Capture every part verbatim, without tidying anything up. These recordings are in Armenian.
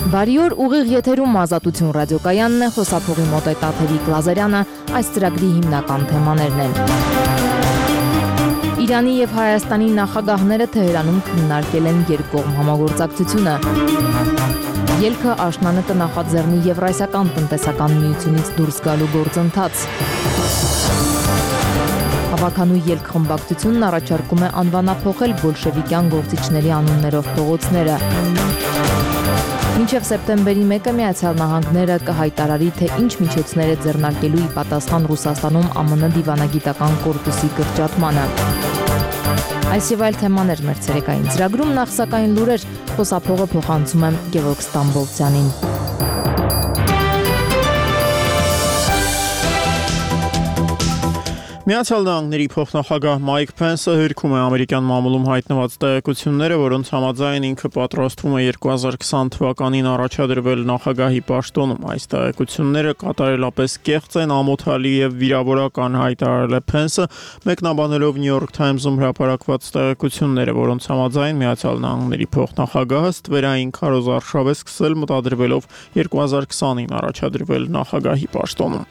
Բարի օր, ուղիղ եթերում Ազատություն ռադիոկայանն է, խոսափողի մոտ է Տաթևիկ Լազարյանը, այս ծրագրի հիմնական թեմաներն են։ Իրանի եւ Հայաստանի նախագահները Թեհրանում քննարկել են երկկողմ համագործակցությունը։ Ելքը աշնանը նախաձեռնի Եվրասիական տնտեսական միությունից դուրս գալու գործընթաց։ Հավաքանու ելք խմբակցությունն առաջարկում է անվանափոխել բոլշևիկյան գործիչների անուններով փողոցները։ Մինչև սեպտեմբերի մեկը Միացյալ Նահանգները կհայտարարի, թե ինչ միջոցներ է ձեռնարկելու ի պատասխան Ռուսաստանում ԱՄՆ դիվանագիտական կորպուսի կրճատմանը։ Այս եւ այլ թեմաներ մեր ցերեկային ծրագրում, նախ սակայն լուրեր, խոսափողը փոխանցում եմ Գևորգ Ստամբոլցյանին։ Միացյալ Նահանգների փոխնախագահ Մայք Փենսը հերքում է ամերիկյան մամուլում հայտնված տեղեկությունները, որոնց համաձայն ինքը պատրաստվում է երկու հազար քսան թվականին առաջադրվել նախագահի պաշտոնում։ Այս տեղեկությունները կատարելապես կեղծ են, ամոթալի եւ վիրավորական, հայտարարել է Փենսը, մեկնաբանելով New York Times-ում հրապարակված տեղեկությունները, որոնց համաձայն Միացյալ Նահանգների փոխնախագահը ստվերային քարոզարշավ է սկսել, մտադրվելով երկու հազար քսանին առաջադրվել նախագահի պաշտոնում։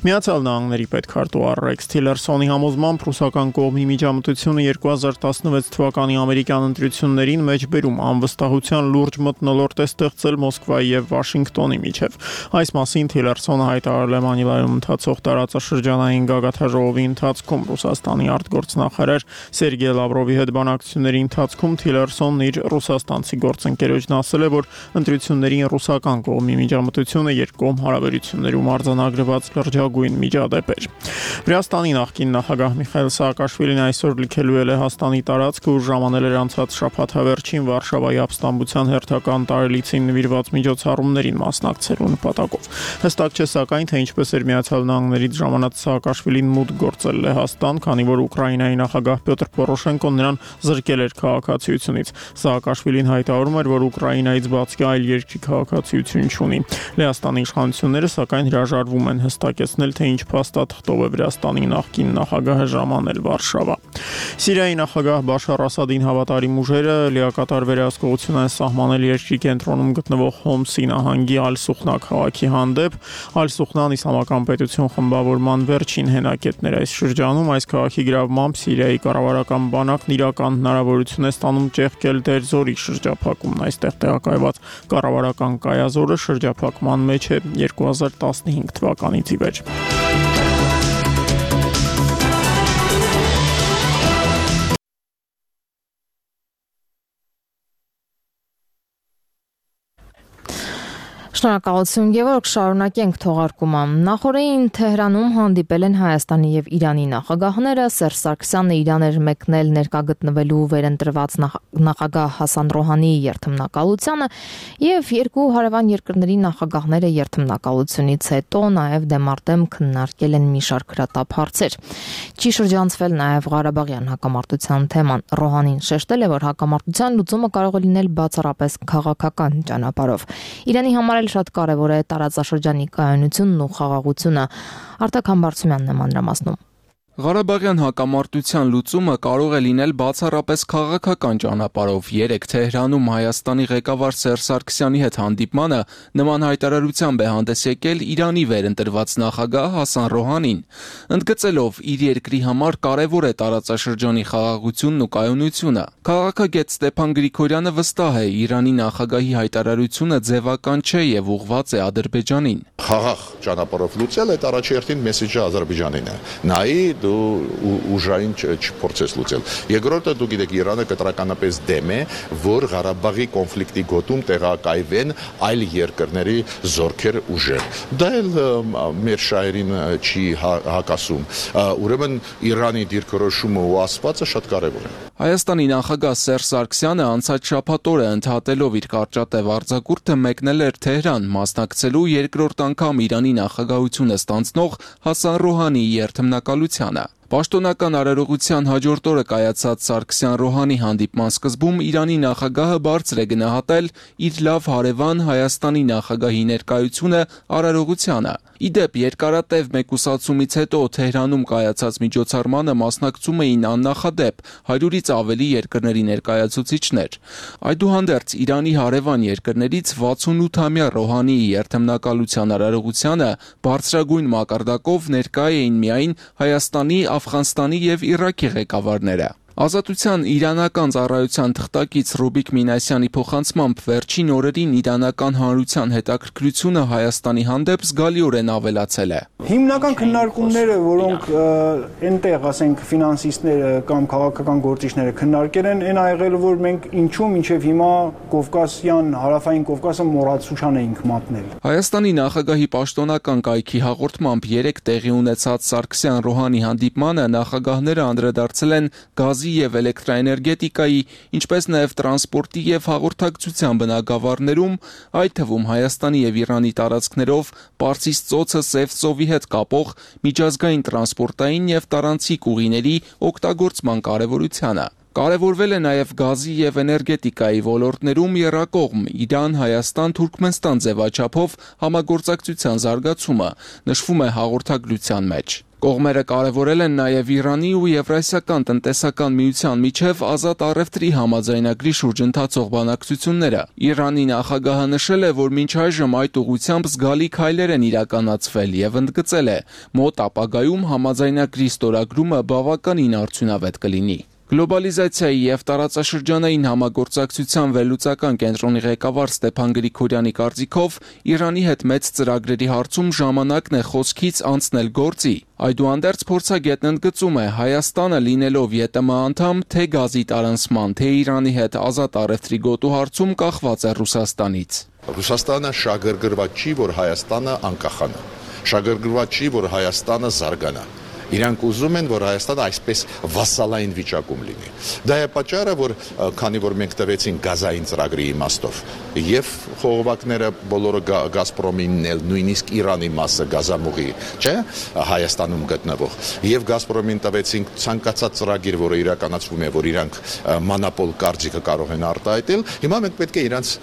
Միացյալ Նահանգների պետքարտուղար Ռեքս Թիլերսոնի համոզմամբ ռուսական կողմի միջամտությունը երկու հազար տասնվեց թվականի ամերիկյան ընտրություններին մեջբերում անվստահության լուրջ մթնոլորտ է ստեղծել Մոսկվայի եւ Վաշինգտոնի միջև։ Այս մասին Թիլերսոնը հայտարարել է Մանիլայում ընթացող տարածաշրջանային գագաթաժողովի ընթացքում Ռուսաստանի արտգործնախարար Սերգեյ Լավրովի հետ բանակցությունների ընթացքում Թիլերսոնն իր ռուսաստանցի գործընկերոջն ասել է, որ ընտրություններին ռուսական կողմի միջամտությունը երկկողմ հարաբերություններում արձանագրված լրջագույն միջադեպ էր։ Վրաստանի նախկին նախագահ Միխայիլ Սաակաշվիլին այսօր լքելու է Լեհաստանի տարածքը ու ժամանել էր անցած շաբաթավերջին Վարշավայի ապստամբության հերթական տարելիցին նվիրված միջոցառումներին մասնակցելու նպատակով։ Հստակ չէ սակայն, թե ինչպես էր Միացյալ Նահանգներից ժամանած Սաակաշվիլին մուտք գործել Լեհաստան, քանի որ Ուկրաինայի նախագահ Պյոտր Պորոշենկոն նրան զրկել էր քաղաքացիությունից։ Սաակաշվիլին հայտարարում էր, որ Ուկրաինայից բացի այլ երկրի քաղաքացիություն չունի։ Լեհաստանի իշխանությունները սակայն հրաժարվում են հստակեցնել, թե ինչ փաստաթղթով է Վրաստանի նախկին նախագահը ժամանել Վարշավա։ Սիրիայի նախագահ Բաշար Ասադին հավատարիմ ուժերը լիակատար վերահսկողություն են սահմանել երկրի կենտրոնում գտնվող Հոմսի նահանգի Ալ-Սուխնա քաղաքի հանդեպ։ Ալ-Սուխնան իսլամական պետություն խմբավորման վերջին հենակետներ այս շրջանում։ Այս քաղաքի գրավմամբ Սիրիայի կառավարական բանակն իրական հնարավորություն է ստանում ճեղքել Դեր-Զորի շրջափակումն։ Այստեղ տեղակայված կառավարական կայազորը շրջափակման մեջ է երկու հազար տասնհինգ թվականից ի վեր։ Շնորհակալություն, Գևորգ, շարունակենք թողարկումը։ Նախորդին Թեհրանում հանդիպել են Հայաստանի եւ Իրանի նախագահները, Սերժ Սարգսյանն Իրան էր մեկնել ներկա գտնվելու վերընտրված նախագահ Հասան Ռոհանիի երթմնակալությանը եւ երկու հարևան երկրների նախագահները երթմնակալությունից հետո նաեւ դեմարտեմ քննարկել են մի շարք հրատապ հարցեր։ Չի շրջանցվել նաեւ Ղարաբաղյան հակամարտության թեման։ Ռոհանին շեշտել է, որ հակամարտության լուծումը կարող է լինել բացառապես քաղաքական ճանապարհով։ Իրանի համար շատ կարևոր է տարածաշրջանի կայունությունն ու խաղաղությունը։ Արտակ Համբարձումյանն է մանրամասնում։ Ղարաբաղյան հակամարտության լուծումը կարող է լինել բացառապես քաղաքական ճանապարհով։ Երեկ Թեհրանում Հայաստանի ղեկավար Սերժ Սարգսյանի հետ հանդիպմանը նման հայտարարությամբ է հանդես եկել Իրանի վերընտրված նախագահ Հասան Ռոհանին, ընդգծելով իր երկրի համար կարևոր է տարածաշրջանի խաղաղությունն ու կայունությունը։ Քաղաքագետ Ստեփան Գրիգորյանը վստահ է, Իրանի նախագահի հայտարարությունը ձևական չէ եւ ուղղված է Ադրբեջանին։ Խաղաղ ճանապարհով լուծել այդ առաջերտին մեսեջը Ադրբեջանին է։ Նայի դու ուժային չփորձես լուծել։ Երկրորդը դու գիտեք, Իրանը կտրականապես դեմ է, որ Ղարաբաղի կոնֆլիկտի գոտում տեղակայվեն այլ երկրների զորքեր ուժեր։ Դա էլ մեր շահերին չի հակասում։ Ուրեմն Իրանի դիրքորոշումը ու ասվածը շատ կարևոր է։ Հայաստանի նախագահ Սերժ Սարգսյանը անցած շաբաթ օրը ընդհատելով իր կարճատև արձակուրդը մեկնել էր Թեհրան, մասնակցելու երկրորդ անգամ Իրանի նախագահությունը ստանձնող Հասան Ռոհանիի երթմնակալությանը։ Պաշտոնական արարողության հաջորդ օրը կայացած Սարգսյան-Ռոհանի հանդիպման սկզբում Իրանի նախագահը բարձր է գնահատել իր լավ հարևան Հայաստանի նախագահի ներկայությունը արարողությանը։ Ի դեպ, երկարատև մեկուսացումից հետո Թեհրանում կայացած միջոցառմանը մասնակցում էին աննախադեպ հարյուրից ավելի երկրների ներկայացուցիչներ։ Այդուհանդերձ Իրանի հարևան երկրներից վաթսունութամյա Ռոհանիի երթմնակալության արարողությանը բարձրագույն մակարդակով ներկա էին միայն Հայաստանի, Աֆղանստանի և Իրաքի ղեկավարները։ Ազատության իրանական ծառայության թղթակից Ռուբիկ Մինասյանի փոխանցմամբ վերջին օրերին իրանական հանրության հետաքրքրությունը Հայաստանի հանդեպ զգալիորեն ավելացել է։ Հիմնական քննարկումները, որոնք այնտեղ, ասենք, ֆինանսիստները կամ քաղաքական գործիչները քննարկել են, այն ա եղել, որ մենք ինչու մինչև հիմա Կովկասյան, հարավային Կովկասը մոռացության էինք մատնել։ Հայաստանի նախագահի պաշտոնական կայքի հաղորդմամբ երեկ տեղի ունեցած Սարգսյան-Ռոհանի հանդիպմանը նախագահները անդրադարձել են գազի և էլեկտրաէներգետիկայի, ինչպես նաև տրանսպորտի և հաղորդակցության բնագավառներում, այդ թվում Հայաստանի և Իրանի տարածքներով Պարսից ծոցը Սև ծովի հետ կապող միջազգային տրանսպորտային և տարանցիկ ուղիների օգտագործման կարևորությանը։ Կարևորվել է նաև գազի և էներգետիկայի ոլորտներում եռակողմ Իրան-Հայաստան-Թուրքմենստան ձևաչափով համագործակցության զարգացումը, նշվում է հաղորդագրության մեջ։ Կողմերը կարևորել են նաև Իրանի ու Եվրասիական տնտեսական միության միջև ազատ առևտրի համաձայնագրի շուրջ ընթացող բանակցությունները։ Իրանի նախագահը նշել է, որ մինչ այժմ այդ ուղղությամբ զգալի քայլեր են իրականացվել և ընդգծել է՝ մոտ ապագայում համաձայնագրի ստորագրումը բավականին արդյունավետ կլինի։ Գլոբալիզացիայի և տարածաշրջանային համագործակցության վերլուծական կենտրոնի ղեկավար Ստեփան Գրիգորյանի կարծիքով Իրանի հետ մեծ ծրագրերի հարցում ժամանակն է խոսքից անցնել գործի։ Այդուհանդերձ փորձագետն ընդգծում է՝ Հայաստանը լինելով ԵՏՄ անդամ, թե գազի տարանցման, թե Իրանի հետ ազատ առևտրի գոտու հարցում կախված է Ռուսաստանից։ Ռուսաստանը շահագրգռված չի, որ Հայաստանը անկախանա։ Շահագրգռված չի, որ Հայաստանը զարգանա։ Իրանք ուզում են, որ Հայաստանը այսպես վասալային վիճակում լինի։ Դա է պատճառը, որ քանի որ մենք տվեցին գազային ծրագրի իմաստով եւ խողովակները բոլորը Գազպրոմինն էլ, նույնիսկ Իրանի մասը գազամուղի, չէ, Հայաստանում գտնվող, եւ Գազպրոմին տվեցինք ցանկացած ծրագիր, որը իրականացվում է, որ իրանք մանապոլ կարծիքը կարող են արտահայտել, հիմա մենք պետք է իրանց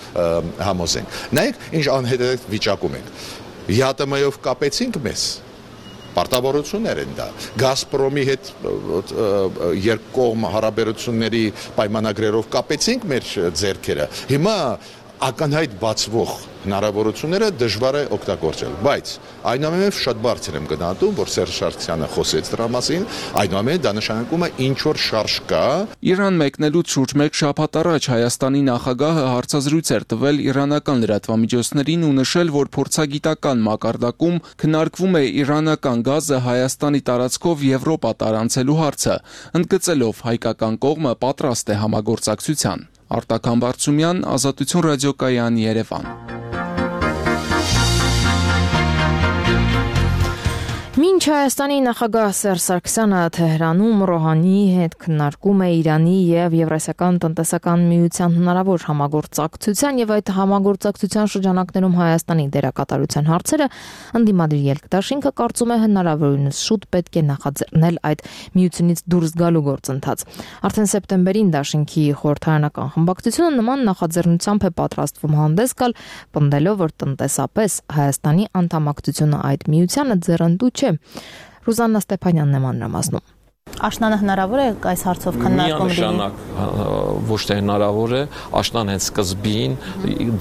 համոզենք։ Նայեք, ինչ անհետեթ վիճակում ենք։ ԵԱՏՄ-ով կապեցինք մեզ պարտավորություններ են դա։ Գազպրոմի հետ երկկողմ հարաբերությունների պայմանագրերով կապեցինք մեր ձեռքերը։ Հիմա ակնհայտ բացվող հնարավորությունները դժվար է օգտագործել, բայց այնուամենայնիվ շատ բարձր եմ գնահատում, որ Սերժ Սարգսյանը խոսեց դրա մասին, այնուամենայնիվ դա նշանակում է ինչ որ շարժ կա։ Իրան մեկնելուց շուրջ մեկ շաբաթ առաջ Հայաստանի նախագահը հարցազրույց էր տվել իրանական լրատվամիջոցներին ու նշել, որ փորձագիտական մակարդակում քննարկվում է իրանական գազը Հայաստանի տարածքով Եվրոպա տարանցելու հարցը, ընդգծելով հայկական կողմը պատրաստ է համագործակցության։ Արտակ Համբարձումյան, Ազատություն ռադիոկայան, Երևան։ Մինչ Հայաստանի նախագահ Սերժ Սարգսյանը Թեհրանում Ռոհանիի հետ քննարկում է Իրանի եւ Եվրասիական տնտեսական միության հնարավոր համագործակցության եւ այդ համագործակցության շրջանակներում Հայաստանի դերակատարության հարցերը, ընդդիմադիր Ելք-Դաշինքը կարծում է հնարավորինս շուտ պետք է նախաձեռնել այդ միությունից դուրս գալու գործընթաց։ Արդեն սեպտեմբերին Դաշինքի խորհրդարանական խմբակցությունը նման նախաձեռնությամբ է պատրաստվում հանդես գալ, պնդելով, որ տնտեսապես Հայաստանի անդամակցությունը այդ միությանը ձեռնտու չէ։ Ռուզաննա Ստեփանյանն է մանրամասնում։ Աշնանը հնարավոր է այս հարցով քննարկում լինի։ Միանշանակ ոչ թե հնարավոր է, աշնան հենց սկզբին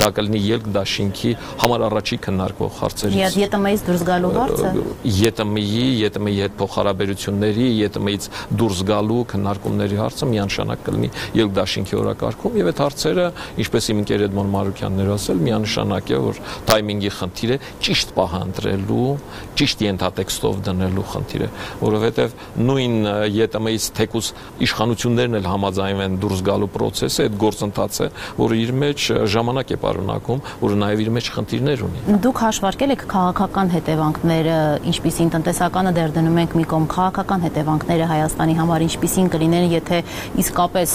դա կլինի Ելք-Դաշինքի համար առաջի քննարկվող հարցերից։ ԵՏՄ-ից դուրս գալու հարցը։ ԵՏՄ-ի, ԵՏՄ-ի հետ փոխհարաբերությունների, ԵՏՄ-ից դուրս գալու քննարկումների հարցը միանշանակ կլինի Ելք-Դաշինքի օրակարգում եւ այդ հարցերը, ինչպես իմ ընկեր Էդմոն Մարուկյանն էր ասել, միանշանակ է, որ թայմինգի խնդիր է, ճիշտ պահը ընտրելու, ճիշտ ենթատեքստով դնելու խնդիր է, որովհետեւ նույն ԵՏՄ-ից թեկուզ իշխանություններն էլ համաձայնվեն դուրս գալու process-ը, այդ գործընթացը է, որը իր մեջ ժամանակ է պարունակում, որը նաև իր մեջ խնդիրներ ունի։ Դուք հաշվարկել եք քաղաքական հետևանքները, ինչպիսին տնտեսականը դեռ դնում ենք մի կողմ, քաղաքական հետևանքները Հայաստանի համար ինչպիսին կլինեն, եթե իսկապես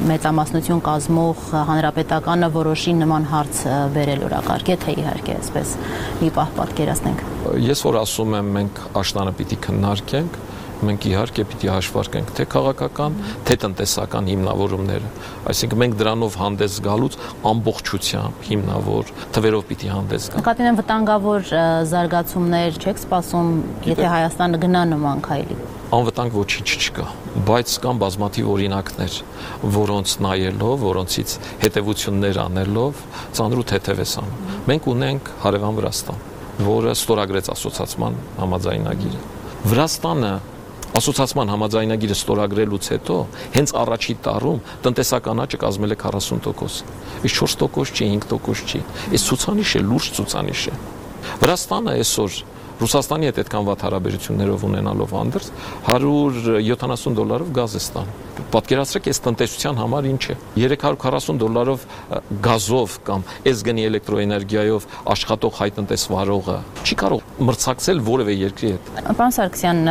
մեծամասնություն կազմող հանրապետականը որոշի նման հարց բերել օրակարգ, եթե իհարկե այսպես մի պահ պատկերացնենք։ Ես որ ասում եմ, մենք աշնանը պիտի քննարկենք, Մենք իհարկե պիտի հաշվարկենք թե քաղաքական, թե տնտեսական հիմնավորումները։ Այսինքն մենք դրանով հանդես գալուց ամբողջությամբ հիմնավոր թվերով պիտի հանդես գանք։ Նկատի ունեմ վտանգավոր զարգացումներ չեք սպասում, եթե Հայաստանը գնա նման քայլի։ Անվտանգ ոչինչ չկա, բայց կան բազմաթիվ օրինակներ, որոնց նայելով, որոնցից հետևություններ անելով, ծանրուտ հետև ես անում։ Մենք ունենք հարևան Վրաստան, որը ստորագրեց ասոցիացիան համաձայնագիրը։ Վրաստանը ասոցիացիան համաձայնագիրը ստորագրելուց հետո հենց առաջի տարում տնտեսական աճը կազմել է քառասուն տոկոս։ Իսկ չորս տոկոս չի, հինգ տոկոս չի։ Այս ցուցանիշ է, լուրջ ցուցանիշ է։ Վրաստանը այսօր Ռուսաստանի հետ այդքան վատ հարաբերություններով ունենալով հանդերձ հարյուր յոթանասուն դոլարով գազ է ստանում։ Պատկերացրեք, այս տնտեսության համար ինչ է։ երեք հարյուր քառասուն դոլարով գազով կամ այս գնի էլեկտրոէներգիայով աշխատող հայ տնտեսվարողը չի կարող մրցակցել որևէ երկրի հետ։ Պարոն Սարգսյան,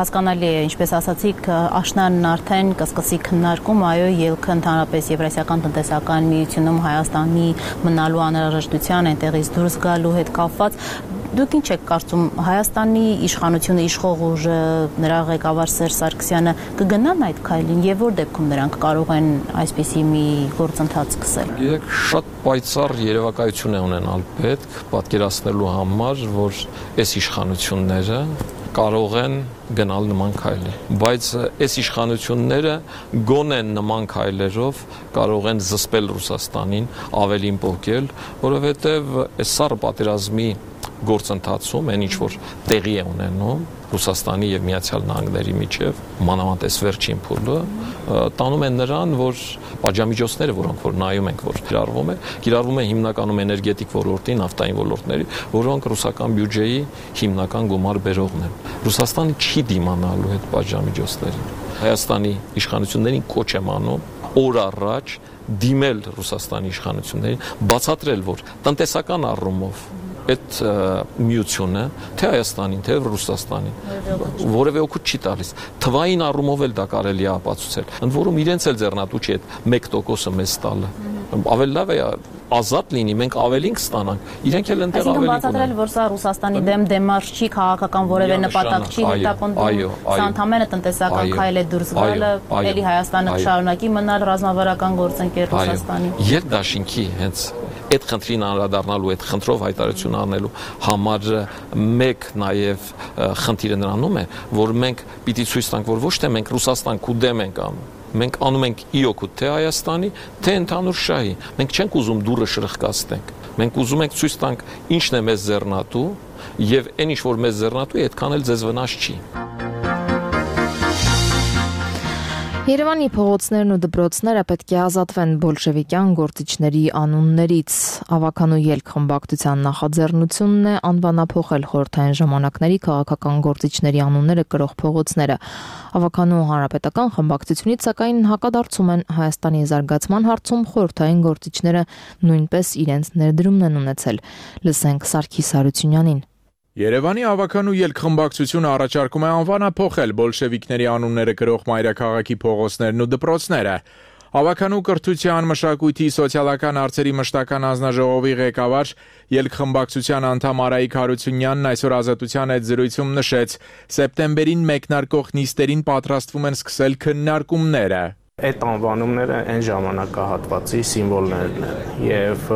հասկանալի է, ինչպես ասացիք, աշնանն արդեն կսկսի քննարկում, այո, ելքը ընդհանրապես Եվրասիական տնտեսական միությունում Հայաստանի մնալու անհրաժեշտության, այնտեղից դուրս գալու հետ կապված։ Դուք ինչ եք կարծում, Հայաստանի իշխանությունը, իշխող ուժը, նրա ղեկավար Սերժ Սարգսյանը կգնան այդ քայլին եւ որ դեպքում նրանք կարող են այսպիսի մի գործընթաց սկսել։ Գիտեք, շատ պայծառ երևակայություն է ունենալ պետք պատկերացնելու համար, որ այս իշխանությունները կարող են գնալ նման քայլի, բայց այս իշխանությունները գոնեն նման քայլերով կարող են զսպել Ռուսաստանին, ավելին պոկել, որովհետև այս սառը պատերազմի գործընթացում այն ինչ որ տեղի է ունենում Ռուսաստանի եւ Միացյալ Նահանգների միջև, մանավանդ այս վերջին փուլը, տանում են նրան, որ պատժամիջոցները, որոնք որ նայում ենք, որ կիրառվում է, կիրառվում է հիմնականում էներգետիկ ոլորտի, նավթային ոլորտների, որոնք ռուսական բյուջեի հիմնական գումար բերողն են։ Ռուսաստանը չի դիմանալու այդ պատժամիջոցներին։ Հայաստանի իշխանություններին կոչ եմ անում օր առաջ դիմել Ռուսաստանի իշխանություններին, բացատրել, որ տնտեսական առումով այդ միությունը թե Հայաստանին, թե Ռուսաստանին որևէ օգուտ չի տալիս։ Թվային առումով էլ դա կարելի է ապացուցել։ Ընդ որում իրենց էլ ձեռնատու չի այդ մեկ տոկոսը մեզ տալը։ Ավելի լավ է ազատ լինի, մենք ավելին կստանանք։ Իրենք էլ այնտեղ ավելի կունեն։ Բացատրել, որ սա Ռուսաստանի դեմ դեմարշ չի, քաղաքական որևէ նպատակ չի հետապնդում։ Սա ընդհանրապես տնտեսական քայլ է դուրս գալը, էլի Հայաստանը կշարունակի մնալ ռազմավարական գործընկեր Ռուսաստանի։ Երկդաշինքի հենց այդ խնդրին անդրադառնալու, այդ խնդրով հայտարարություն անելու համար մեկ նաև խնդիրը նրանում է, որ մենք պիտի ցույց տանք, որ ոչ թե մենք Ռուսաստան կուդեմ ենք անում, մենք անում ենք ի օգուտ թե Հայաստանի, թե ընդհանուր շահի։ Մենք չենք ուզում դուրը շրխկացնենք։ Մենք ուզում ենք ցույց տանք ինչն է մեզ ձեռնատու, եւ այն ինչ որ մեզ ձեռնատու է, այդքան էլ ձեզ վնաս չի։ Երևանի փողոցներն ու դպրոցները պետք է ազատվեն բոլշևիկյան գործիչների անուններից։ Ավականու ելք խմբակցության նախաձեռնությունն է անվանափոխել խորհրդային ժամանակների քաղաքական գործիչների անունները կրող փողոցները։ Ավականու հանրապետական խմբակցությունից սակայն հակադարձում են Հայաստանի զարգացման հարցում խորհրդային գործիչները նույնպես իրենց ներդրումն են ունեցել։ Լսենք Սարգիս Հարությունյանին։ Երևանի ավականու ելք խմբակցությունը առաջարկում է անվանափոխել բոլշևիկների անունները կրող մայրաքաղաքի փողոցներն ու դպրոցները։ Ավականու կրթության, մշակույթի, սոցիալական հարցերի մշտական հանձնաժողովի ղեկավար ելք խմբակցության անդամ Արայիկ Հարությունյանն այսօր Ազատության հետ զրույցում նշեց, սեպտեմբերին մեկնարկող նիստերին պատրաստվում են սկսել քննարկումները։ Այդ անվանումները այն ժամանակահատվածի սիմվոլներն են եւ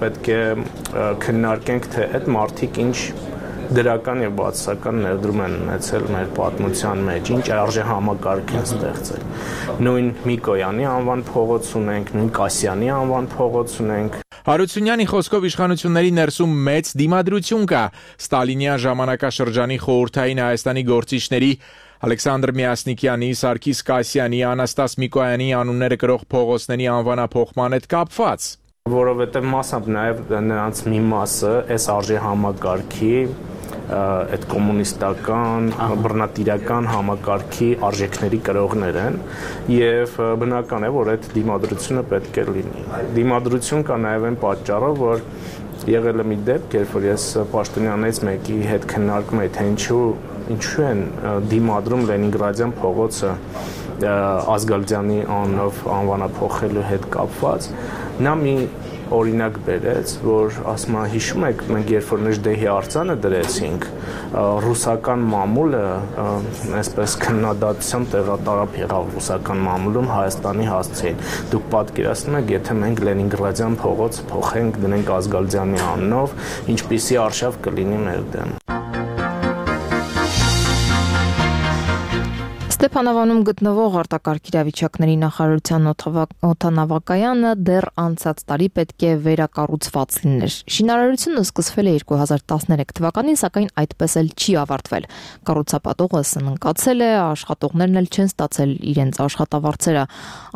պետք է քննարկենք, թե այդ մարդիկ ինչ դրական եւ բացասական ներդրում են ունեցել մեր պատմության մեջ, ինչ արժե համակարգ են ստեղծել։ Նույն Միկոյանի անվան փողոց ունենք, նույն Կասյանի անվան փողոց ունենք։ Հարությունյանի խոսքով իշխանությունների ներսում մեծ դիմադրություն կա Ստալինյան ժամանակաշրջանի խորհրդային Հայաստանի գործիչների Ալեքսանդր Միասնիկյանի, Սարգիս Կասյանի, Անաստաս Միկոյանի անունները կրող փողոցների անվանափոխման հետ կապված։ Որովհետև մասամբ նաև նրանց մի մասը այս արժե համակարգի, այդ կոմունիստական, բռնատիրական համակարգի արժեքների կրողներ են եւ բնական է, որ այդ դիմադրությունը պետք է լինի։ Դիմադրություն կա նաև այն պատճառով, որ եղել է մի դեպք, երբ որ ես պաշտոնյանից մեկի հետ քննարկում էի, թե ինչու ինչու են դիմադրում Լենինգրադյան փողոցը Ազգալյանի անունով անվանափոխելու հետ կապված, նա մի օրինակ բերեց, որ ասում է հիշում եք մենք երբ որ Նժդեհի արձանը դրեցինք, ռուսական մամուլը այսպես քննադատությամբ տեղատարապ եղավ ռուսական մամուլում Հայաստանի հասցեին։ Դուք պատկերացնում եք, եթե մենք Լենինգրադյան փողոց փոխենք, դնենք Ազգալձյանի անունով, ինչպիսի արշավ կլինի մեր դեմ։ Ստեփանավանում գտնվող արտակարգ իրավիճակների նախարարության օդանավակայանը դեռ անցած տարի պետք է վերակառուցված լիներ։ Շինարարությունը սկսվել է երկու հազար տասներեք թվականին, սակայն այդպես էլ չի ավարտվել։ Կառուցապատողը սնանկացել է, աշխատողներն էլ չեն ստացել իրենց աշխատավարձերը։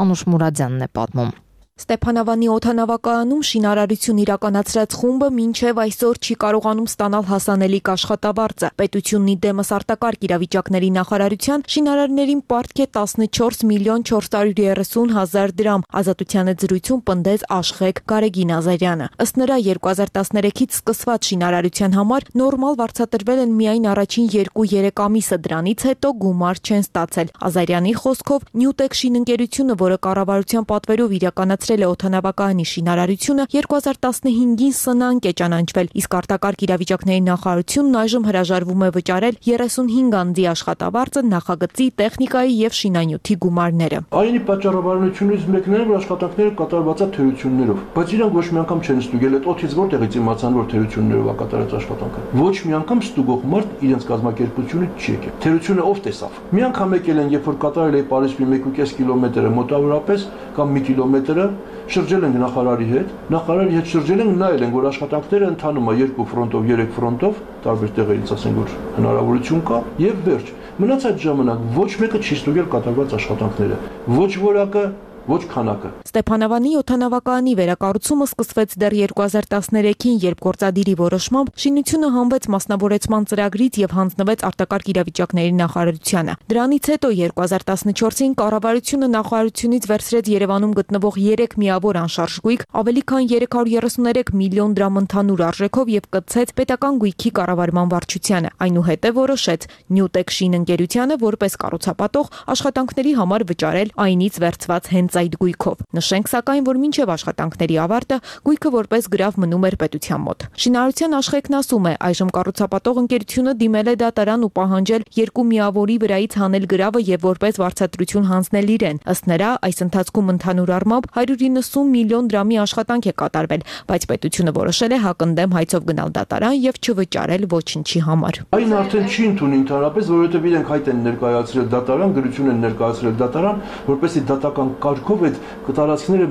Անուշ Մուրադյանն է պատմում։ Ստեփանավանի օդանավակայանում շինարարություն իրականացրած խումբը մինչև այսօր չի կարողանում ստանալ հասանելիք աշխատավարձը։ Պետությունն ի դեմս արտակարգ իրավիճակների նախարարության շինարարներին պարտք է տասնչորս միլիոն չորս հարյուր երեսուն հազար դրամ։ Ազատության հետ զրույցում պնդեց Աշխեգ Գարեգին Ազարյանը։ Ըստ նրա երկու հազար տասներեքից սկսված շինարարության համար նորմալ վարձատրվել են միայն առաջին երկու-երեք ամիսը, դրանից հետո գումար չեն ստացել։ Ազարյանի խոսքով Նյուտեկ շինընկերությունը, որը կառավարության պատվերով իրականացրել է օդանավակայանի շինարարությունը, երկու հազար տասնհինգին սնանկ է ճանաչվել, իսկ արտակարգ իրավիճակների նախարարությունն այժմ հրաժարվում է վճարել երեսունհինգ անձի աշխատավարձը, նախագծի, տեխնիկայի եւ շինանյութի գումարները։ Այնի պատճառաբանությունից մեկն է, որ աշխատանքները կատարված է թերություններով, բայց իրանք ոչ մի անգամ չեն ստուգել այդ օդից որտեղից իմացան, որ թերություններով է կատարած աշխատանքը։ Ոչ մի անգամ ստուգող մարդ իրենց կազմակերպությունը չի եկել։ Թերությունը ով տեսավ։ Մի անգամ եկել են, երբ որ կատարել է Պարիսպի մեկ ու կես կիլոմետրը մոտավորապես կամ մի կիլոմետրը, շրջել ենք նախարարի հետ, նախարարի հետ շրջել ենք, նայել ենք, որ աշխատանքները ընթանում է երկու ֆրոնտով, երեք ֆրոնտով, տարբեր տեղերից ասենք, որ հնարավորություն կա, եւ վերջ։ Մնացած ժամանակ ոչ մեկը չի ստուգել կատարված աշխատանքները, ոչ որակը, ոչ քանակը։ Ստեփանավանի օդանավակայանի վերակառուցումը սկսվեց դեռ երկու հազար տասներեքին, երբ գործադիրի որոշմամբ շինությունը հանվեց մասնավորեցման ծրագրից եւ հանձնվեց արտակարգ իրավիճակների նախարարությանը։ Դրանից հետո երկու հազար տասնչորսին կառավարությունը նախարարությունից վերցրեց Երևանում գտնվող երեք միավոր անշարժ գույք, ավելի քան երեք հարյուր երեսուներեք միլիոն դրամ ընդհանուր արժեքով եւ կցեց պետական գույքի կառավարման վարչությանը։ Այնուհետեւ որոշեց Նյուտեկ շինընկերությանը որպես կառուցապատող աշխատանքների համար վճարել այնից վերցված հենց այդ գույքով։ Նշենք սակայն, որ մինչև աշխատանքների ավարտը գույքը որպես գրավ մնում էր պետության մոտ։ Շինարարության Աշխեգն ասում է, այժմ կառուցապատող ընկերությունը դիմել է դատարան ու պահանջել երկու միավորի վրայից հանել գրավը եւ որպես վարձատրություն հանձնել իրեն։ Ըստ նրա, այս ընթացքում ընդհանուր առմամբ հարյուր իննսուն միլիոն դրամի աշխատանք է կատարվել, բայց պետությունը որոշել է հակընդդեմ հայցով գնալ դատարան եւ չվճարել ոչինչի համար։ Այն արդեն չի ընդունի ընդհանրապես, որովհետեւ իրենք հայտ են ներկայացրել դատարան, գրություն են ներկայացրել դատարան, որպեսզի դատական կարգով այդ տարածքները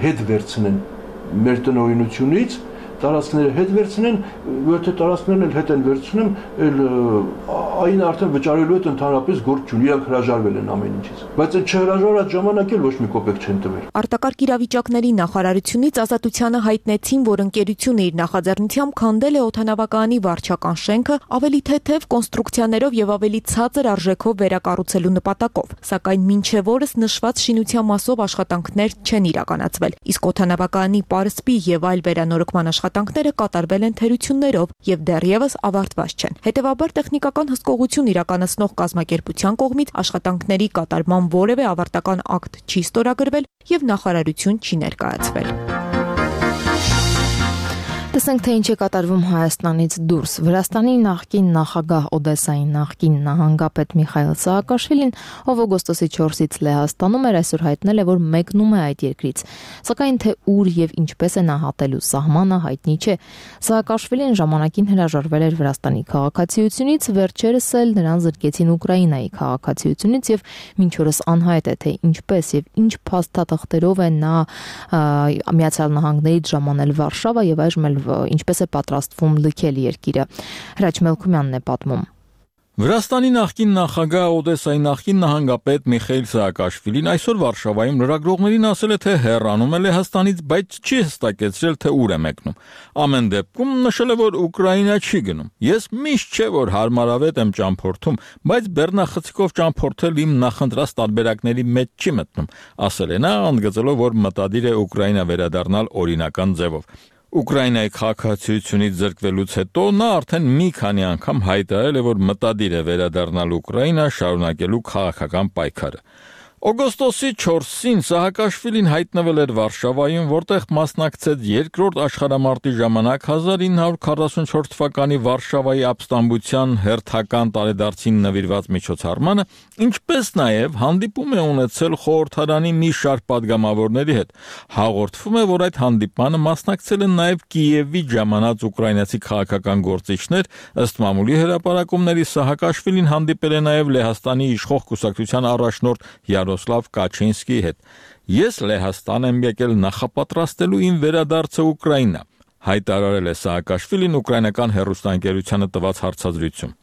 հետ վերցնեն մեր տնօրինությունից, տարածքները հետ վերցնեն, որտե տարածքներն էլ հետ են վերցնում, էլ այն արդեն վճարելու հետ ընդհանրապես գործ չունի, իրանք հրաժարվել են ամեն ինչից։ Բայց այդ չհրաժարած ժամանակ էլ ոչ մի կոպեկ չեն տվել։ Արտակարգ իրավիճակների նախարարությունից Ազատությանը հայտնեցին, որ ընկերությունը իր նախաձեռնությամբ քանդել է օդանավակայանի վարչական շենքը ավելի թեթև կոնստրուկցիաներով եւ ավելի ցածր արժեքով վերակառուցելու նպատակով, սակայն մինչև օրս նշված շինության մասով աշխատանքներ չեն իրականացվել, իսկ օդանավակայանի պարսպի եւ այլ վերանորոգման աշխատանքները կատարվել են թերություններով եւ դեռևս ավարտված չեն։ Հետևաբար տեխնիկական հսկողություն իրականացնող կազմակերպության կողմից աշխատանքների կատարման որևէ ավարտական ակտ չի ստորագրվել եւ նախարարություն չի ներկայացվել։ Տեսնենք, թե ինչ է կատարվում Հայաստանից դուրս։ Վրաստանի նախկին նախագահ Օդեսայի նախկին նահանգապետ Միխայել Սահակաշվիլին, ով օգոստոսի չորսից Լեհաստանում էր, այսօր հայտնել է, որ մեկնում է այդ երկրից։ Սակայն թե ուր եւ ինչպես է նա հատելու սահմանը հայտնի չէ։ Սահակաշվիլին ժամանակին հրաժարվել էր Վրաստանի քաղաքացիությունից, վերջերս էլ նրան զրկեցին Ուկրաինայի քաղաքացիությունից եւ մինչ օրս անհայտ է, թե ինչպես եւ ինչ փաստաթղթերով է նա Միացյալ Նահանգներից ժամանել Վարշավա եւ այժմ էլ ինչպես է պատրաստվում լքել երկիրը։ Հրաչ Մելքումյանն է պատմում։ Վրաստանի նախկին նախագահ Օդեսայի նախկին նահանգապետ Միխայել Սահակաշվիլին այսօր Վարշավայում լրագրողներին ասել է, թե հեռանում է Լեհաստանից, բայց չի հստակեցրել, թե ուր է մեկնում։ Ամեն դեպքում նշել է, որ Ուկրաինա չի գնում։ Ես միշտ չէ, որ հարմարավետ եմ ճամփորդում, բայց բեռնախցիկով ճամփորդել իմ նախընտրած տարբերակների մեջ չի մտնում, ասել է նա, ընդգծելով, որ մտադիր է Ուկրաինա վերադառնալ օրինական ձևով։ Ուկրաինայի քաղաքացիությունից զրկվելուց հետո նա արդեն մի քանի անգամ հայտարարել է, որ մտադիր է վերադառնալ Ուկրաինա շարունակելու քաղաքական պայքարը։ Օգոստոսի չորսին Սահակաշվիլին հայտնվել էր Վարշավայում, որտեղ մասնակցեց երկրորդ աշխարհամարտի ժամանակ հազար ինը հարյուր քառասունչորդ թվականի Վարշավայի ապստամբության հերթական տարեդարձին նվիրված միջոցառմանը, ինչպես նաև հանդիպում է ունեցել խորհրդարանի մի շարք падգամավորների հետ։ Հաղորդվում է, որ այդ հանդիպմանը մասնակցել են նաև Կիևի ժամանած ուկրաինացի քաղաքական գործիչներ, ըստ մամուլի հրապարակումների Սահակաշվիլին հանդիպել է նաև Լեհաստանի իշխող կուսակցության առաջնորդ Յարոսլավ Կաչինսկիի հետ։ Ես Լեհաստան եմ եկել նախապատրաստելու իմ վերադարձը Ուկրաինա, հայտարարել է Սահակաշվիլին ուկրաինական հեռուստաընկերությանը տված հարցազրույցում։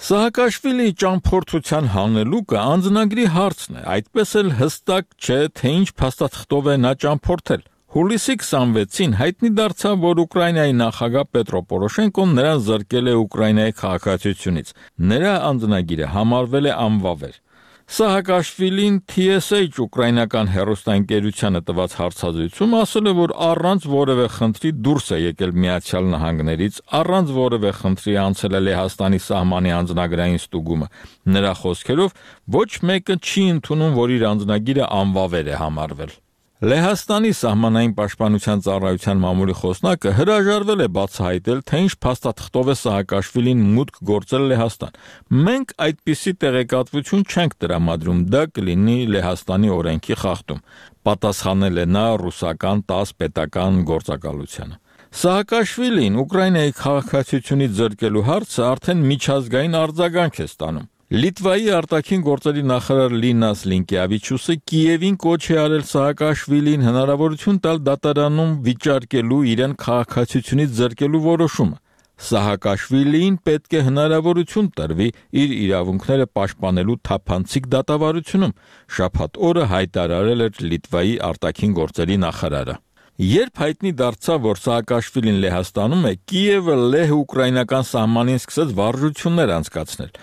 Սահակաշվիլիի ճամփորդության հանելուկը անձնագրի հարցն է, այդպես էլ հստակ չէ, թե ինչ փաստաթղթով է նա ճամփորդել։ Հուլիսի քսանվեցին հայտնի դարձավ, որ Ուկրաինայի նախագահ Պետրո Պորոշենկոն նրան զրկել է Ուկրաինայի քաղաքացիությունից։ Նրա անձնագիրը համարվել է անվավեր։ Սահակաշվիլին T S H ուկրաինական հեռուստաընկերությանը տված հարցազրույցում ասել է, որ առանց որևէ խնդրի դուրս է եկել Միացյալ Նահանգներից, առանց որևէ խնդրի անցել է Լեհաստանի սահմանի անձնագրային ստուգումը։ Նրա խոսքերով ոչ մեկը չի ընդունում, որ իր անձնագիրը անվավեր է համարվել։ Լեհաստանի սահմանային պաշտպանության ծառայության մամուլի խոսնակը հրաժարվել է բացահայտել, թե ինչ փաստաթղթով է Սահակաշվիլին մուտք գործել Լեհաստան։ Մենք այդպիսի տեղեկատվություն չենք տրամադրում, դա կլինի Լեհաստանի օրենքի խախտում, պատասխանել է նա ռուսական տաս պետական գործակալությանը։ Սահակաշվիլին Ուկրաինայի քաղաքացիությունից զրկելու հարցը արդեն միջազգային արձագանք է ստանում։ Լիտվայի արտաքին գործերի նախարար Լինաս Լինկեավիչուսը Կիևին կոչ է արել Սահակաշվիլին հնարավորություն տալ դատարանում վիճարկելու իրեն քաղաքացիությունից զրկելու որոշումը։ Սահակաշվիլին պետք է հնարավորություն տրվի իր իրավունքները պաշտպանելու թափանցիկ դատավարությունում, շաբաթ օրը հայտարարել էր Լիտվայի արտաքին գործերի նախարարը։ Երբ հայտնի դարձավ, որ Սահակաշվիլին Լեհաստանում է, Կիևը լեհ-ուկրաինական սահմանին սկսեց վարժություններ անցկացնել։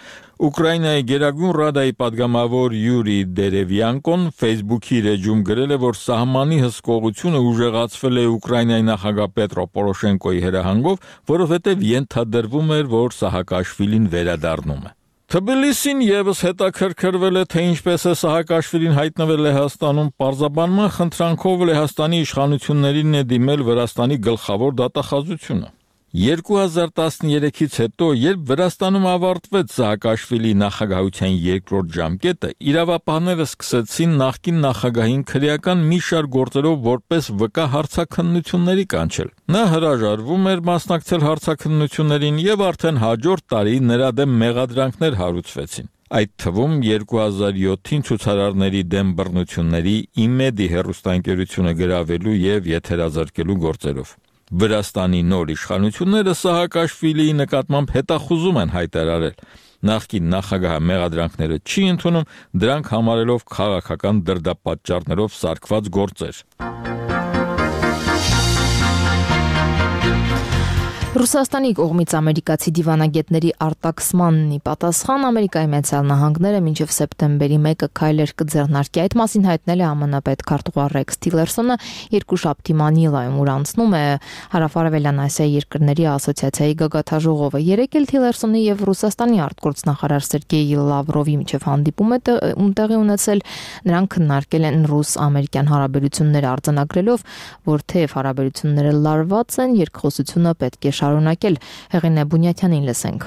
Ուկրաինայի Գերագույն Ռադայի падգամավոր Յուրի Դերևյանկոն Facebook-ի էջում գրել է, որ սահմանի հսկողությունը ուժեղացվել է Ուկրաինայի նախագահ Պետրո Պորոշենկոյի հրահանգով, որովհետև ենթադրվում էր, որ Սահակաշվիլին վերադառնում է։ Թբիլիսին եւս հետաքրքրվել է, թե ինչպես է Սահակաշվիլին հայտնվել Լեհաստանում, պարզաբանման խնդրանքով Լեհաստանի իշխանություններին է դիմել Վրաստանի գլխավոր դատախազությունը։ երկու հազար տասներեքից հետո, երբ Վրաստանում ավարտվեց Սահակաշվիլի նախագահության երկրորդ ժամկետը, իրավապահները սկսեցին նախկին նախագահին քրեական մի շարք գործերով որպես վկա հարցաքննությունների կանչել։ Նա հրաժարվում էր մասնակցել հարցաքննություններին եւ արդեն հաջորդ տարի նրա դեմ մեղադրանքներ հարուցվեցին։ Այդ թվում երկու հազար յոթին ցուցարարների դեմ բռնությունների իմեդի հեռուստաընկերությունը գրավելու եւ եթերազրկելու գործերով։ Վրաստանի նոր իշխանությունները Սահակաշվիլիի նկատմամբ հետախուզում են հայտարարել։ Նախկին նախագահը մեղադրանքները չի ընդունում, դրանք համարելով քաղաքական դրդապատճառներով սարքված գործեր։ Ռուսաստանի կողմից ամերիկացի դիվանագետների արտաքսմանն ի պատասխան Ամերիկայի Միացյալ Նահանգները մինչև սեպտեմբերի մեկը քայլեր կձեռնարկի։ Այդ մասին հայտնել է ԱՄՆ պետքարտուղար Ռեքս Թիլերսոնը երկուշաբթի Մանիլայում, ուր անցնում է Հարավարևելյան Ասիայի երկրների ասոցիացիայի գագաթաժողովը։ Երեկ էլ Թիլերսոնի եւ Ռուսաստանի արտգործնախարար Սերգեյ Լավրովի միջև հանդիպում է տեղի ունեցել։ Նրանք քննարկել են ռուս-ամերիկյան հարաբերությունները արձանագրելով, որ թեև հարաբերությունները լարված են, երկխոսությունը պետք է շարունակել։ Հեղինե Բունյաթյանին լսենք։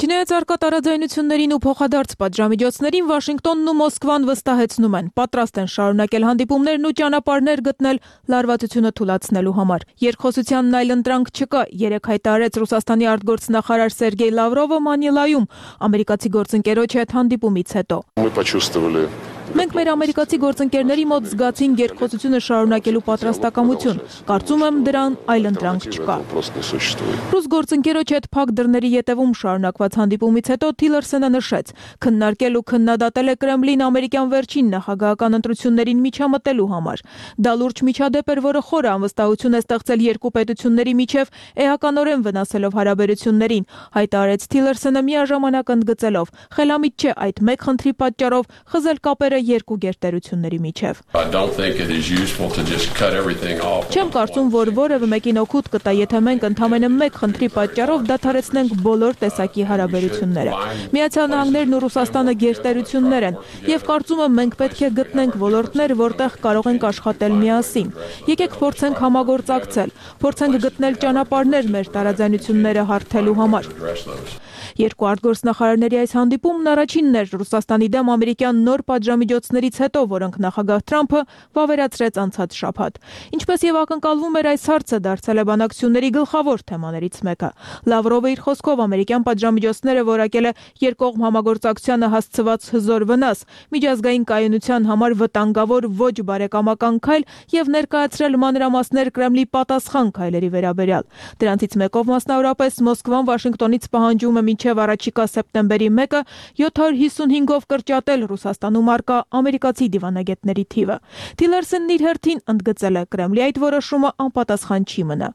Չնայած արկա տարաձայնություններին ու փոխադարձ պատժամիջոցներին Վաշինգտոնն ու Մոսկվան վստահեցնում են, պատրաստ են շարունակել հանդիպումներն ու ճանապարհներ գտնել լարվածությունը թուլացնելու համար։ Երկխոսությանն այլ ընտրանք չկա, երեք հայտարարեց Ռուսաստանի արտգործնախարար Սերգեյ Լավրովը Մանիլայում, ամերիկացի գործընկերոջ հետ հանդիպումից հետո։ Մենք մեր ամերիկացի գործընկերների մոտ զգացին երկխոսությունը շարունակելու պատրաստակամություն։ Կարծում եմ դրան այլ ընտրանք չկա։ Ռուս գործընկերոջ հետ փակ դռների ետևում շարունակված հանդիպումից հետո Թիլերսոնը նշեց. քննարկել ու քննադատել է Կրեմլին ամերիկյան վերջին նախագահական ընտրություններին միջամտելու համար։ Դա լուրջ միջադեպ էր, որը խորը անվստահություն է ստեղծել երկու պետությունների միջև, էականորեն վնասելով հարաբերություններին, հայտարարեց Թիլերսոնը միաժամանակ ընդգծելով. խելամիտ չէ այդ մեկ խնդրի պատճառով խզել կապերը երկու գերտերությունների միջև։ Չեմ կարծում, որ որևէ մեկին օգուտ կտա, եթե մենք ընդամենը մեկ խնդրի պատճառով դադարեցնենք բոլոր տեսակի հարաբերությունները։ Միացյալ Նահանգներն ու Ռուսաստանը գերտերություններ են, եւ կարծում եմ մենք պետք է գտնենք ոլորտներ, որտեղ կարող ենք աշխատել միասին։ Եկեք փորձենք համագործակցել, փորձենք գտնել ճանապարհներ մեր տարաձայնությունները հարթելու համար։ Երկու արտգործնախարարների այս հանդիպումն առաջինն էր Ռուսաստանի դեմ ամերիկյան նոր պատժամիջոցներից հետո, որոնք նախագահ Թրամփը վավերացրեց անցած շաբաթ։ Ինչպես եւ ակնկալվում էր, այս հարցը դարձել է բանակցությունների գլխավոր թեմաներից մեկը։ Լավրովը իր խոսքով ամերիկյան պատժամիջոցները որակել է երկկողմ համագործակցությանը հասցված հզոր վնաս, միջազգային կայունության համար վտանգավոր ոչ բարեկամական քայլ եւ ներկայացրել մանրամասներ Կրեմլի պատասխան քայլերի վերաբերյալ։ Դրանցից մեկով մասնավորապես Մոսկվան Վաշինգտոնից պահանջում է մինչև առաջիկա սեպտեմբերի մեկը յոթ հարյուր հիսունհինգով կրճատել Ռուսաստանում առկա ամերիկացի դիվանագետների թիվը։ Թիլերսոնն իր հերթին ընդգծել է Կրեմլի այդ որոշումը անպատասխան չի մնա։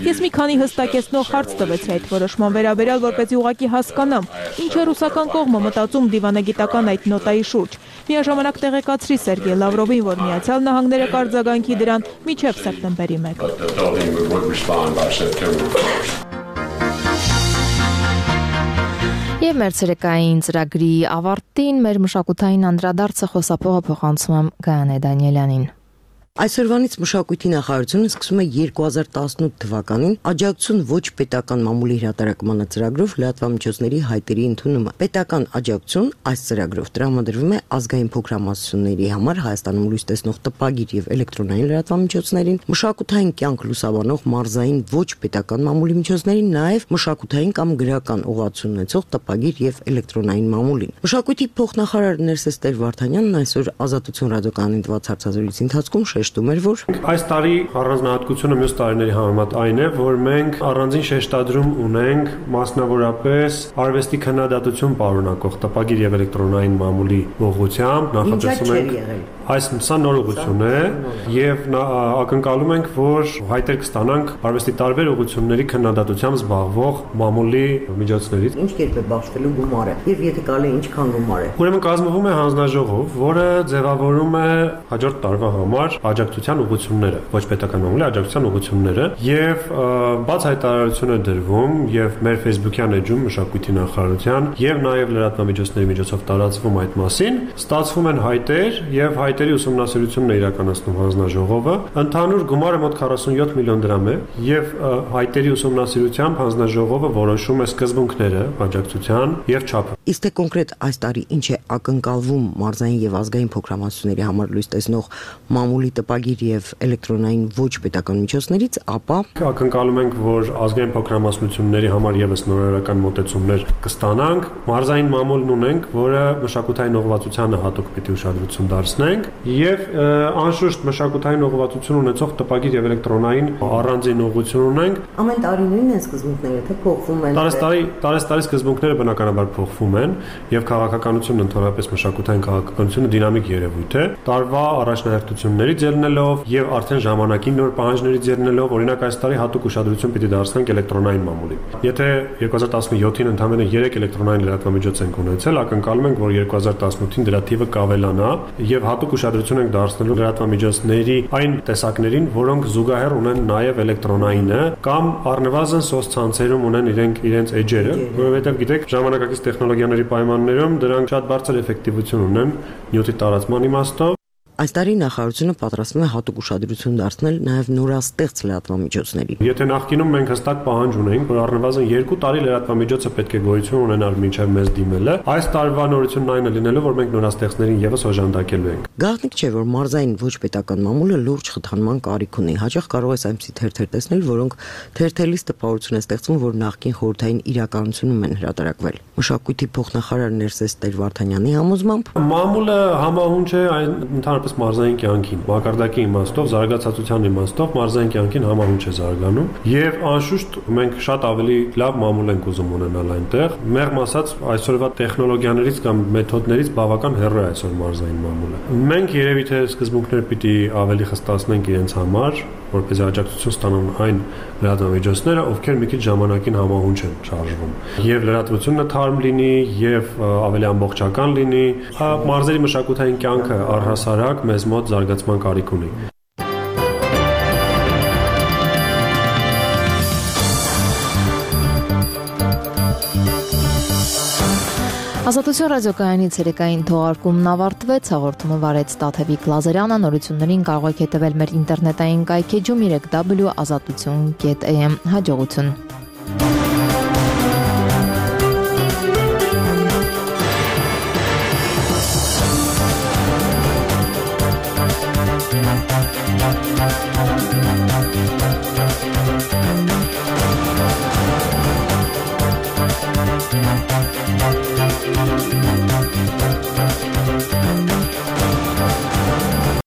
Ես մի քանի հստակեցնող հարց տվեցի այդ որոշման վերաբերյալ, որպեսզի ուղղակի հասկանամ, ինչ է ռուսական կողմը մտածում դիվանագիտական այդ նոտայի շուրջ։ Միաժամանակ տեղեկացրի Սերգեյ Լավրովին, որ Միացյալ Նահանգները կարձագանքի դրան մինչև սեպտեմբերի մեկը։ Եվ մեր ցերեկային ծրագրի ավարտին մեր մշակութային անդրադարձը խոսափողը փոխանցում եմ Գայանե Դանիելյանին։ Այսօրվանից մշակույթի նախարարությունը սկսում է երկու հազար տասնութ թվականին աջակցություն ոչ պետական մամուլի հրատարակման ծրագրով լրատվամիջոցների հայտերի ընդունումը։ Պետական աջակցություն այս ծրագրով տրամադրվում է ազգային փոքրամասնությունների համար Հայաստանում լույս տեսնող տպագիր եւ էլեկտրոնային լրատվամիջոցներին, մշակութային կյանք լուսաբանող մարզային ոչ պետական մամուլի միջոցներին, նաեւ մշակութային կամ գրական ուղղություն ունեցող տպագիր եւ էլեկտրոնային մամուլին։ Մշակույթի փոխնախարար Ներսես Տեր-Վարդանյանն այսօր Ազատություն ռադիոկայանին տված հարցազրույցի ընթացքում շեշտում էր, որ այս տարի առանձնահատկությունը մյուս տարիների համեմատ այն է, որ մենք առանձին շեշտադրում ունենք մասնավորապես արվեստի քննադատություն պարունակող տպագիր եւ էլեկտրոնային մամուլի ուղղությամբ նախատեսում ենք այս սա նոր ուղղություն է եւ ակնկալում ենք, որ հայտեր կստանանք արվեստի տարբեր ուղղությունների քննադատությամբ զբաղվող մամուլի միջոցներից։ Ինչ կերպ է բաշխվելու գումարը եւ եթե կարելի ինչքան գումար է։ Ուրեմն կազմվում է հանձնաժողով, որը ձևավորում է հաջորդ տարվա համար աջակցության ուղղությունները, ոչ պետական մամուլի աջակցության ուղղությունները եւ բաց հայտարարություն է դրվում եւ մեր Facebook-յան էջում մշակույթի նախարարության եւ նաեւ լրատվամիջոցների միջոցով տարածվում այդ մասին, ստացվում են հայտեր եւ հայտերի ուսումնասիրությունն է իրականացնում հանձնաժողովը։ Ընդհանուր գումարը մոտ քառասունյոթ միլիոն դրամ է եւ հայտերի ուսումնասիրությամբ հանձնաժողովը որոշում է սկզբունքները աջակցության եւ չափը։ Իսկ թե կոնկրետ այս տարի ինչ է ակնկալվում մարզային եւ ազգային փոքրամասնությունների համար լույս տեսնող մամուլի տպագիր եւ էլեկտրոնային ոչ պետական միջոցներից, ապա ակնկալում ենք, որ ազգային փոքրամասնությունների համար եւս նորարարական մոտեցումներ կստանանք։ Մարզային մամուլն ունենք, որը մշակութային ուղղվածությանը հատուկ պիտի ուշադրություն դարձնենք եւ անշուշտ մշակութային ուղղվածություն ունեցող տպագիր եւ էլեկտրոնային առանձին ուղղություն ունենք։ Ամեն տարի նույնն են սկզբունքները, թե փոխվում են։ Տարեստարի տարեստարի սկզբունքները բնականաբար փոխվում են եւ քաղաքականությունն ընդհանրապես մշակութային քաղաքականությունը դինամիկ երևույթ է։ Տարվա առաջնահերթություններից ելնելով եւ արդեն ժամանակին նոր պահանջներից ելնելով, օրինակ այս տարի հատուկ ուշադրություն պիտի դարձնենք էլեկտրոնային մամուլին։ Եթե երկու հազար տասնյոթին ընդամենը երեք էլեկտրոնային լրատվամիջոց ենք ունեցել, ակնկալում ենք, որ երկու հազար տասնութին դրա թիվը կավելանա եւ հատուկ ուշադրություն ենք դարձնելու լրատվամիջոցների այն տեսակներին, որոնք զուգահեռ ունեն նաեւ էլեկտրոնայինը կամ առնվազն սոցցանցերում ունեն իրենք իրենց էջերը, որովհետեւ գիտեք, ժամանակակից տեխնոլոգիաների պայմաններում դրանք շատ բարձր էֆեկտիվություն ունեն նյութի տարածման իմաստով։ Այս տարի նախարարությունը պատրաստվում է հատուկ ուշադրություն դարձնել նաև նորաստեղծ լրատվամիջոցների։ Եթե նախկինում մենք հստակ պահանջ ունեինք, որ առնվազն երկու տարի լրատվամիջոցը պետք է գոյություն ունենար մինչև մեզ դիմելը, այս տարվա նորությունն այն է լինելու, որ մենք նորաստեղծներին եւս օժանդակելու ենք։ Գաղտնիք չէ, որ մարզային ոչ պետական մամուլը լուրջ խթանման կարիք ունի։ Հաճախ կարող է այնպիսի թերթեր տեսնել, որոնք թերթելիս տպավորություն է ստեղծում, որ նախկին խորհրդային իրականությունում են հրատարակվել։ Մշակույթի փոխնախարար Ներսես Տեր-Վարդանյանի համոզմամբ մամուլը համահունչ է այն ընդհանրապես ընդհանրապես մարզային կյանքին։ Մակարդակի իմաստով, զարգացածության իմաստով մարզային կյանքին համահունչ է զարգանում, եւ անշուշտ մենք շատ ավելի լավ մամուլ ենք ուզում ունենալ այնտեղ։ Մեղմ ասած, այսօրվա տեխնոլոգիաներից կամ մեթոդներից բավական հեռու է այսօր մարզային մամուլը։ Մենք երևի թե սկզբունքներ պիտի ավելի խստացնենք իրենց համար, որպեսզի աջակցություն ստանան այն լրատվամիջոցները, ովքեր մի քիչ ժամանակին համահունչ են շարժվում, եւ լրատվությունը թարմ լինի, եւ ավելի ամբողջական լինի, մարզերի մշակութային կյանքը առհասարակ մեզ մոտ զարգացման կարիք ունի։ Ազատություն ռադիոկայանի ցերեկային թողարկումն ավարտվեց, հաղորդումը վարեց Տաթևիկ Լազարյանը, նորություններին կարող եք հետևել մեր ինտերնետային կայքեջում w w w dot azatutun dot a m հաջողություն։